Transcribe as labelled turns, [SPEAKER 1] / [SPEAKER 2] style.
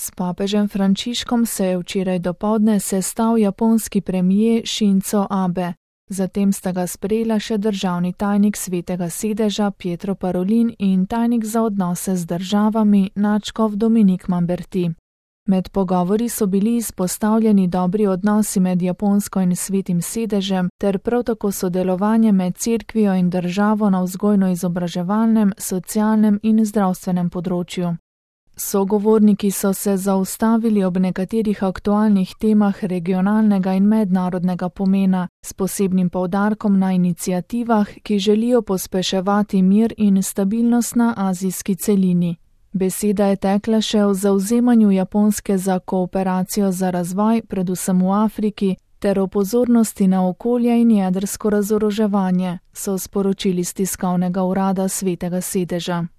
[SPEAKER 1] S papežem Frančiškom se je včeraj dopoldne sestal japonski premier Shinzo Abe. Zatem sta ga sprejela še državni tajnik Svetega sedeža Pietro Parolin in tajnik za odnose z državami nadškof Dominik Mamberti. Med pogovori so bili izpostavljeni dobri odnosi med Japonsko in Svetim sedežem ter prav tako sodelovanje med cerkvijo in državo na vzgojno-izobraževalnem, socialnem in zdravstvenem področju. Sogovorniki so se zaustavili ob nekaterih aktualnih temah regionalnega in mednarodnega pomena, s posebnim poudarkom na iniciativah, ki želijo pospeševati mir in stabilnost na azijski celini. Beseda je tekla še o zavzemanju Japonske za kooperacijo za razvoj, predvsem v Afriki, ter o pozornosti na okolje in jedrsko razoroževanje, so sporočili s tiskovnega urada Svetega sedeža.